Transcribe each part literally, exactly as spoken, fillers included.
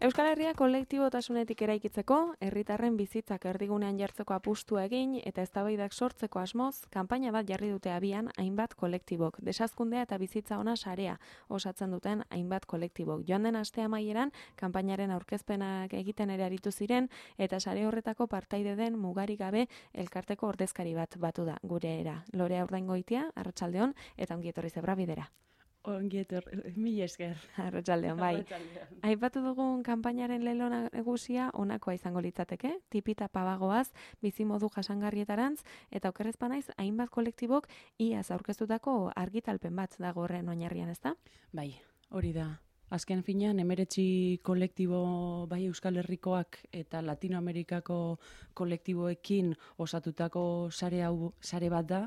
Euskal Herria kolektibotasunetik eraikitzeko, herritarren bizitzak erdigunean jartzeko apustua egin eta eztabaidak sortzeko asmoz, kanpaina bat jarri dute abian hainbat kolektibok. Desazkundea eta bizitza ona sarea osatzen duten hainbat kolektibok. Joan den aste amaieran, kanpainaren aurkezpenak egiten ere aritu ziren eta sare horretako partaide den mugarik gabe elkarteko ordezkari bat batu da gure era. Lorea Urdaingoitia, arratsaldeon eta ongi etorri Zebra Bidera. Ongi etorri, mila esker. Arratsaldeon, bai. Aipatu dugun kanpainaren lelo nagusia honakoa izango litzateke, tipita pabagoaz, bizimodu jasangarrietarantz, eta okerrez banaiz, hainbat kolektibok iaz aurkeztutako argitalpen bat dago horren oinarrian, ezta? Bai, hori da. Azken finean, emeretzi kolektibo bai Euskal Herrikoak eta Latinoamerikako kolektiboekin osatutako sare hau sare bat da.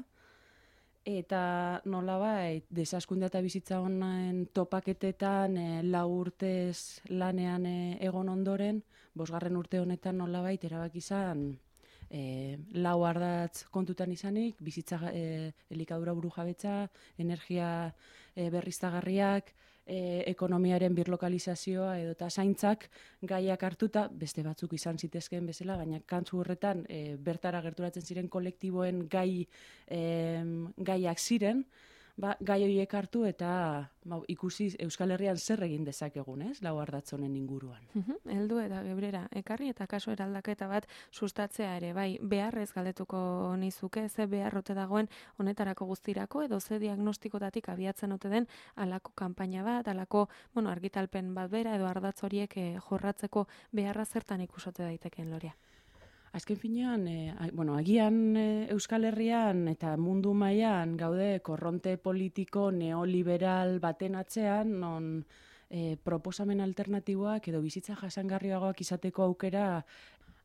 Eta nolabait, desaskundea eta bizitza honen topaketetan e, lau urtez lanean e, egon ondoren, bosgarren urte honetan nolabait erabaki izan e, lau ardatz kontutan izanik, bizitza e, elikadura burujabetza, energia e, berriztagarriak, e, ekonomiaren birlokalizazioa edo eta zaintzak gaiak hartuta, beste batzuk izan zitezkeen bezala, baina kantzu horretan e, bertara gerturatzen ziren kolektiboen gai e, gaiak ziren, ba, gai horiek hartu eta ba, ikusi Euskal Herrian zer egin dezakegun, ez? Lau ardatz honen inguruan. Heldu eta gebrera, ekarri eta kaso eraldaketa bat sustatzea ere, bai, beharrez galdetuko nizuke, ze beharrote dagoen honetarako guztirako, edo ze diagnostikotatik abiatzen ote den alako kanpaina bat, alako, bueno, argitalpen bat bera, edo ardatz horiek eh, jorratzeko beharra zertan ikusote daiteken, Lorea? Azken finean, e, bueno, agian e, Euskal Herrian eta mundu mailan gaude korronte politiko neoliberal baten atzean, non e, proposamen alternatiboak edo bizitza jasangarriagoak izateko aukera,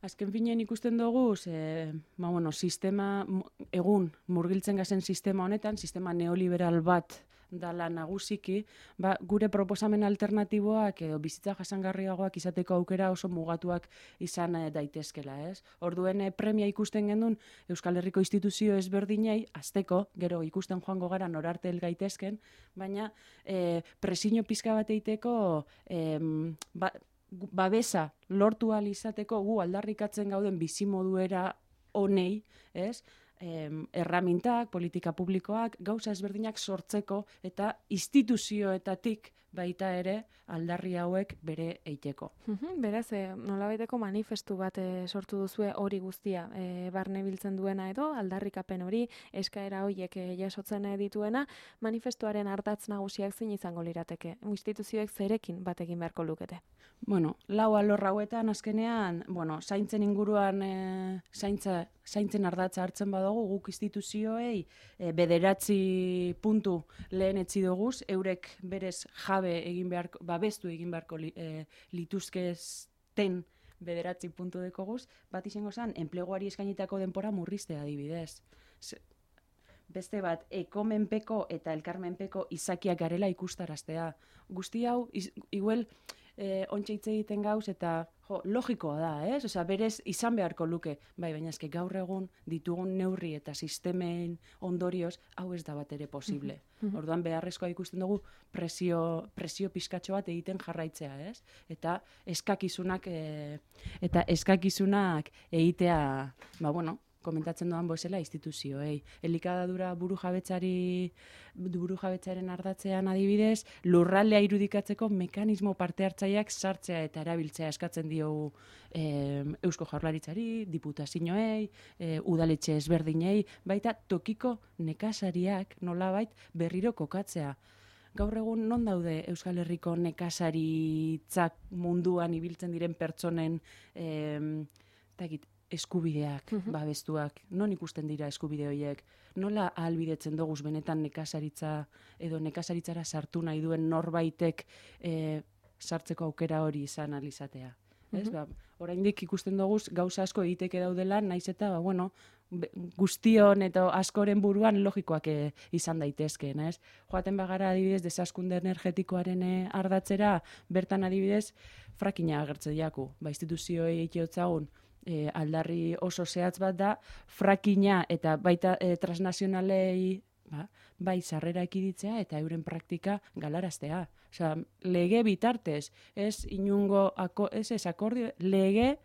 azken finean ikusten dugu, e, ba, bueno, sistema, egun murgiltzen gazen sistema honetan, sistema neoliberal bat dala nagusiki, ba, gure proposamen alternatiboak edo bizitza jasangarriagoak izateko aukera oso mugatuak izan e, daitezkela, ez? Orduen e, premia ikusten gendun Euskal Herriko instituzio ezberdinei, azteko, gero ikusten joango gara norarte hel gaitezken, baina e, presiño pizka bat eiteko e, ba, babesa lortu ahal izateko gu aldarrikatzen gauden bizimoduera honei, ez? Em, erramintak, politika publikoak, gauza ezberdinak sortzeko eta instituzioetatik baita ere aldarri hauek bere eiteko. Beraz, e, nolabaiteko manifestu bat e, sortu duzue hori guztia e, barne biltzen duena edo, aldarrikapen hori, eskaera horiek e, jasotzen dituena, manifestuaren ardatz nagusiak zein izango lirateke. Instituzioek zerekin bat egin beharko lukete? Bueno, lau alor hauetan azkenean, bueno, zaintzen inguruan e, zaintza, zaintzen ardatza hartzen badugu, guk instituzioei e, bederatzi puntu lehen etzi doguz, eurek berez jabe egin beharko, babestu egin beharko li, e, lituzkezten bederatzi puntu dekoguz, bat izango zen, enpleguari eskainitako denpora murriztea adibidez. Beste bat, ekomenpeko eta elkarmenpeko izakiak garela ikustaraztea. Guzti hau, iz, igual, e, ontsa hitz egiten gauz eta jo, logikoa da, ez? Osea, berez izan beharko luke, bai, baina eske gaur egun ditugun neurri eta sistemen ondorioz, hau ez da bat ere posible. Orduan beharrezkoa ikusten dugu presio, presio pizkatxo bat egiten jarraitzea, ez? Eta eskakizunak, e, eta eskakizunak egitea, ba, bueno, komentatzen doan bezala instituzioei. Elikadura burujabetzari burujabetzaren ardatzean adibidez, lurraldea irudikatzeko mekanismo parte hartzaileak sartzea eta erabiltzea eskatzen diogu e, Eusko Jaurlaritzari, diputazioei, e, udaletxe ezberdinei, baita tokiko nekazariak nolabait berriro kokatzea. Gaur egun non daude Euskal Herriko nekazaritzak munduan ibiltzen diren pertsonen e, takit, eskubideak, babestuak, non ikusten dira eskubide horiek, nola ahalbidetzen doguz benetan nekazaritza edo nekazaritzara sartu nahi duen norbaitek e, sartzeko aukera hori izan alizatea. Ez? Ba, oraindik ikusten doguz gauza asko egiteke daudela, naiz eta, ba, bueno, guztion eta askoren buruan logikoak e, izan daitezkeen, ez? Joaten bagara adibidez desaskunde energetikoaren e, ardatzera, bertan adibidez frakina agertze diaku, ba, instituzioei eitiotzagun, E, aldarri oso zehatz bat da, frakina eta baita e, transnazionalei ba, bai sarrera ekiditzea eta euren praktika galaraztea. Osea, lege bitartez, ez inungo, ako, ez ez akordio, lege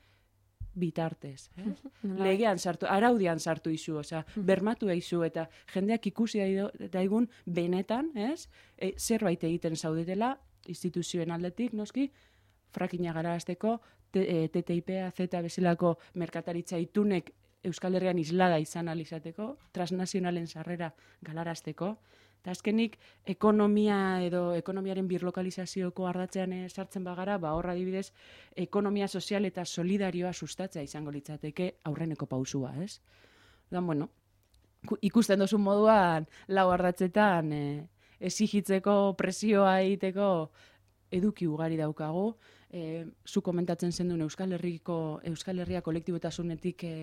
bitartez. Eh? Legean sartu, araudian sartu izu, osea, bermatu izu, eta jendeak ikusi daigun benetan, ez? E, zerbait egiten zaudetela, instituzioen aldetik, noski, frakina galarazteko, T T I P, Z bezalako merkataritza itunek Euskal Herrian islada izan alizateko, transnazionalen sarrera galarazteko, eta azkenik ekonomia edo ekonomiaren birlokalizazioko ardatzean e, sartzen bagara, ba horra adibidez, ekonomia sozial eta solidarioa sustatzea izango litzateke aurreneko pausua, ez? Dan, bueno, ikusten dozun moduan, lau ardatzetan e, exigitzeko, presioa egiteko eduki ugari daukagu, e, zu komentatzen zenduen Euskal Herriko, Euskal Herria kolektibotasunetik e,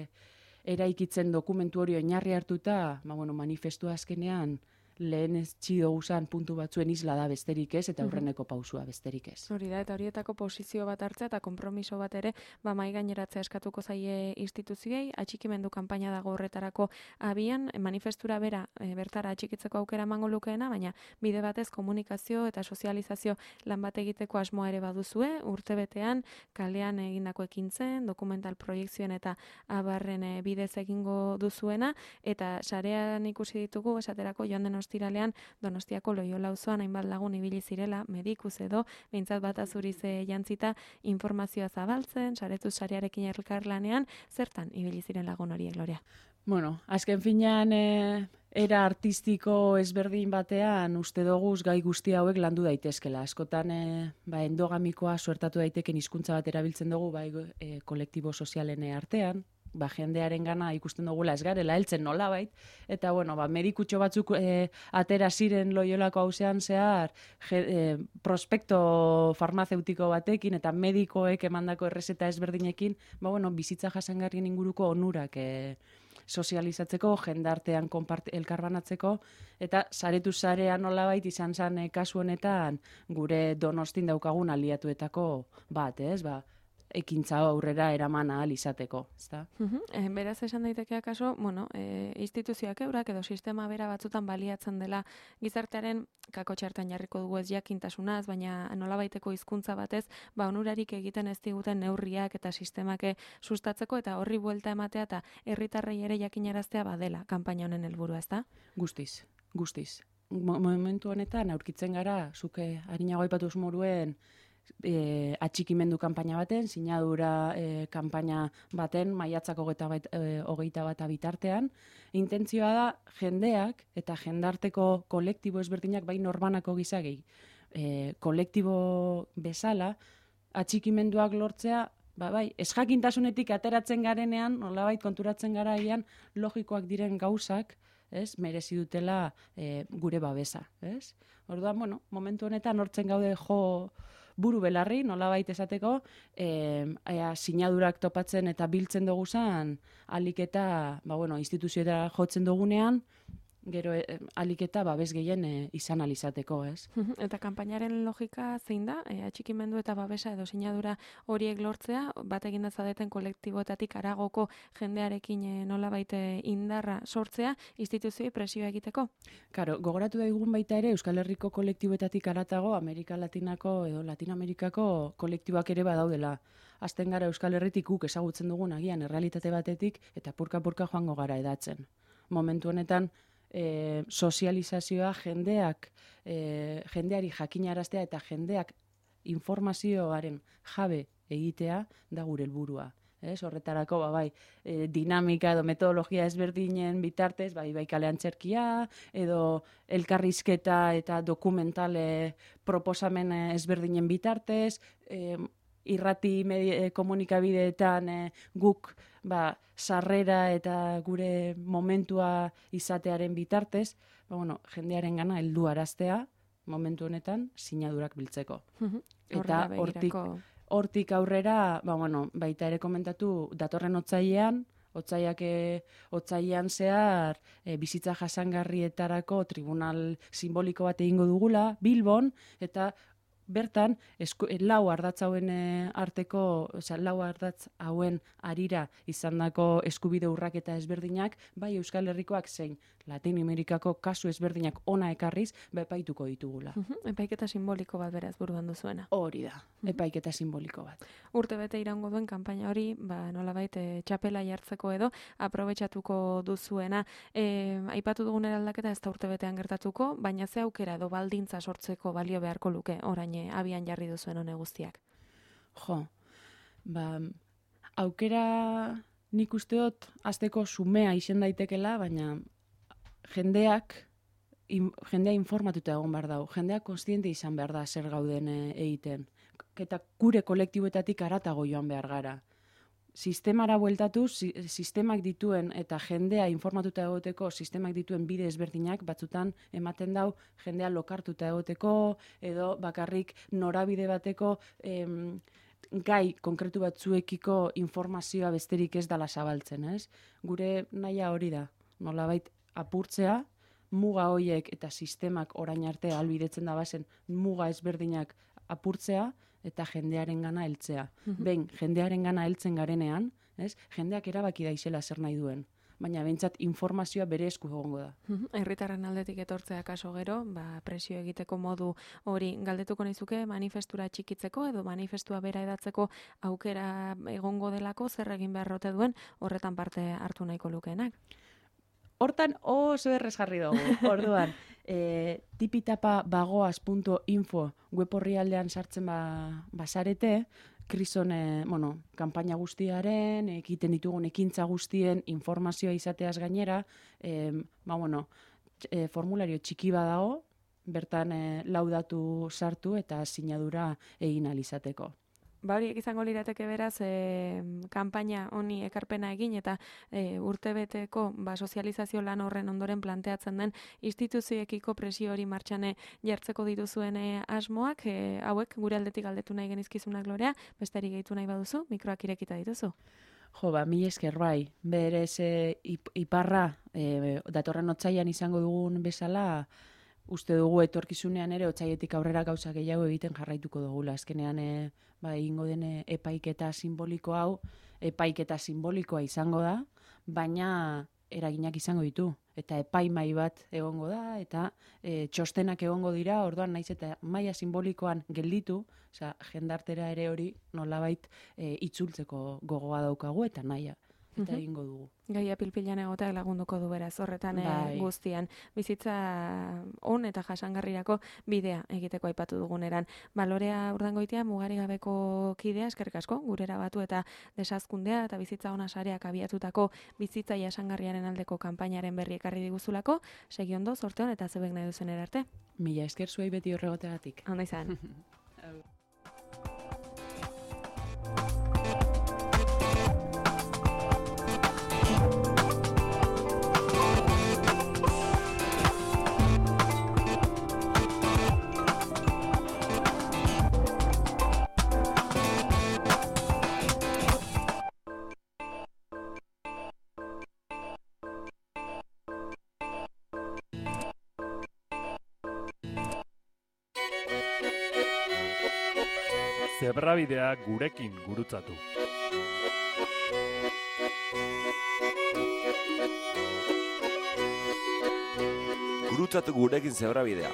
eraikitzen dokumentu hori oinarri hartuta, ba, bueno, manifestua azkenean lehen ez txido usan puntu batzuen isla da besterik ez, eta aurreneko pausua besterik ez. Hori da, eta horietako posizio bat hartzea eta konpromiso bat ere, ba mai gaineratzea eskatuko zaie instituziei, atxikimendu kanpaina dago horretarako abian, manifestura bera e, bertara atxikitzeko aukera emango lukeena, baina bide batez komunikazio eta sozializazio lan bat egiteko asmoa ere baduzue, urtebetean kalean egindako ekintzen, dokumental proiektzioen eta abarren e, bidez egingo duzuena, eta sarean ikusi ditugu, esaterako joan den ostiralean Donostiako Loiola auzoan hainbat lagun ibili zirela, medikuz edo, behintzat bat azuriz jantzita informazioa zabaltzen, saretuz sarearekin elkarlanean, zertan ibili ziren lagun horiek, Gloria? Bueno, azken finean e, era artistiko ezberdin batean uste doguz gai guzti hauek landu daitezkela. Askotan e, ba, endogamikoa suertatu daiteken hizkuntza bat erabiltzen dugu bai e, kolektibo sozialen artean, ba, jendearen gana ikusten dugula ez garela heltzen nolabait, eta bueno, ba, medikutxo batzuk e, atera ziren Loiolako hauzean zehar je, e, prospekto farmazeutiko batekin eta medikoek emandako errezeta ezberdinekin, ba, bueno, bizitza jasangarrien inguruko onurak e, sozializatzeko, jendartean elkarbanatzeko, eta saretu sarean nolabait izan zen e, kasu honetan gure Donostin daukagun aliatuetako bat, ez, ba, ekintza aurrera eraman ahal izateko, ezta? Uh-huh. E, beraz esan daiteke akaso, bueno, e, instituzioak eurak edo sistema bera batzutan baliatzen dela gizartearen kakotxartan jarriko dugu ez jakintasunaz, baina nolabaiteko hizkuntza batez, ba onurarik egiten ez diguten neurriak eta sistemak sustatzeko eta horri buelta ematea eta herritarrei ere jakinaraztea badela kanpaina honen helburua, ezta? Guztiz, guztiz. Momentu honetan aurkitzen gara, zuke harinago aipatuz moruen, E, atxikimendu kanpaina baten, sinadura e, kanpaina baten, maiatzako hogeita bat bitartean. Intentzioa da jendeak eta jendarteko kolektibo ezberdinak bai norbanako gizagei e, kolektibo bezala atxikimenduak lortzea, ba, bai, ez jakintasunetik ateratzen garenean, nolabait konturatzen garaian logikoak diren gauzak, ez, merezi dutela e, gure babesa, ez? Orduan, bueno, momentu honetan hortzen gaude jo buru belarri, nolabait esateko, e, ea, sinadurak topatzen eta biltzen duguzan, alik eta, ba, bueno, instituzioetara jotzen dugunean, gero e, alik eta babes gehien e, izan alizateko, ez? Eta kanpainaren logika zein da? E, atxikimendu eta babesa edo sinadura horiek lortzea, bat eginda zadeten kolektiboetatik aragoko jendearekin e, nolabait indarra sortzea, instituzioi presioa egiteko? Karo, gogoratu daigun baita ere Euskal Herriko kolektiboetatik aratago Amerika Latinako edo Latinoamerikako kolektiboak ere badaudela. Azten gara Euskal Herritik guk ezagutzen dugun agian errealitate batetik eta purka-purka joango gara edatzen. Momentu honetan, E, sozializazioa jendeak e, jendeari jakinaraztea eta jendeak informazioaren jabe egitea da gure helburua. Ez, horretarako ba, bai, e, dinamika edo metodologia ezberdinen bitartez, bai, bai kalean txerkia, edo elkarrizketa eta dokumentale proposamen ezberdinen bitartez, e, irrati medie, komunikabideetan e, guk ba, sarrera eta gure momentua izatearen bitartez, ba, bueno, jendearen gana heldu araztea, momentu honetan, sinadurak biltzeko. Eta hortik, hortik aurrera, ba, bueno, baita ere komentatu, datorren otsailean, otsaiak otsailean zehar e, bizitza jasangarrietarako tribunal simboliko bat egingo dugula, Bilbon, eta bertan, esku, lau ardatz hauen arteko, osea, lau ardatz hauen arira izandako eskubide urraketa ezberdinak, bai Euskal Herrikoak zein Latin Amerikako kasu ezberdinak ona ekarriz, epaituko ditugula. Uh-huh. Epaiketa simboliko bat beraz buruan duzuena. Hori da, epaiketa simboliko bat. Urte bete iraungo duen kanpaina hori, ba, nolabait e, txapela jartzeko edo aprobetxatuko duzuena. E, aipatu dugun eraldaketa ez da urte betean gertatuko, baina ze aukera edo baldintza sortzeko balio beharko luke orain abian jarri duzuen hone guztiak? Jo, ba, aukera nik usteot azteko sumea izen daitekela, baina jendeak, in, jendea informatuta egon behar dau, jendeak konstiente izan behar da zer gauden e, egiten, eta gure kolektiboetatik aratago joan behar gara. Sistemara bueltatu, si, sistemak dituen eta jendea informatuta egoteko sistemak dituen bide ezberdinak batzutan ematen dau jendea lokartuta egoteko edo bakarrik norabide bateko em, gai konkretu batzuekiko informazioa besterik ez dala zabaltzen, ez? Gure nahia hori da, nolabait apurtzea, muga hoiek eta sistemak orain arte ahalbidetzen da bazen muga ezberdinak apurtzea, eta jendearen gana heltzea. Mm-hmm. Behin, jendearen gana heltzen garenean, ez? Jendeak erabaki daizela zer nahi duen. Baina behintzat informazioa bere esku egongo da. Herritarren aldetik etortzea kaso gero, ba, presio egiteko modu hori galdetuko nizuke manifestura txikitzeko edo manifestua bera edatzeko aukera egongo delako zer egin beharrote duen horretan parte hartu nahiko lukeenak. Hortan oso errez jarri dugu, orduan, e, tipitapa bagoaz punto info web orrialdean sartzen ba, basarete, krison, e, bueno, kanpaina guztiaren, egiten ditugun ekintza guztien informazioa izateaz gainera, e, ba, bueno, e, formulario txiki badago, bertan e, laudatu sartu eta sinadura egin alizateko. Ba horiek izango lirateke beraz, e, kanpaina honi ekarpena egin eta e, urtebeteko ba, sozializazio lan horren ondoren planteatzen den instituzioekiko presio hori martxane jartzeko dituzuen e, asmoak, e, hauek gure aldetik galdetu nahi genizkizunak Glorea, besterik gehitu nahi baduzu, mikroak irekita dituzu. Jo, ba, mi esker bai, berez e, iparra, e, datorren otsailean izango dugun bezala, uste dugu etorkizunean ere otsaietik aurrera gauza gehiago egiten jarraituko dugula. Azkenean e, ba, egingo den epaiketa simboliko hau, epaiketa simbolikoa izango da, baina eraginak izango ditu. Eta epaimai bat egongo da, eta e, txostenak egongo dira, orduan naiz eta maila simbolikoan gelditu, osea, jendartera ere hori nolabait e, itzultzeko gogoa daukagu eta naia. Eta egingo dugu. Gaia pilpilan egoteak lagunduko du beraz, horretan bai. Guztian. Bizitza on eta jasangarrirako bidea egiteko aipatu duguneran. Balorea Urdangoitia mugari gabeko kidea, eskerrik asko, gurera batu eta desazkundea eta bizitza ona sareak abiatutako bizitza jasangarriaren aldeko kanpainaren berri ekarri diguzulako, segi ondo, sorte on eta zebek nahi duzen erarte. Mila esker zuei beti horregotegatik. Ondo izan. Zebrabidea gurekin gurutzatu. Gurutzatu gurekin zebrabidea.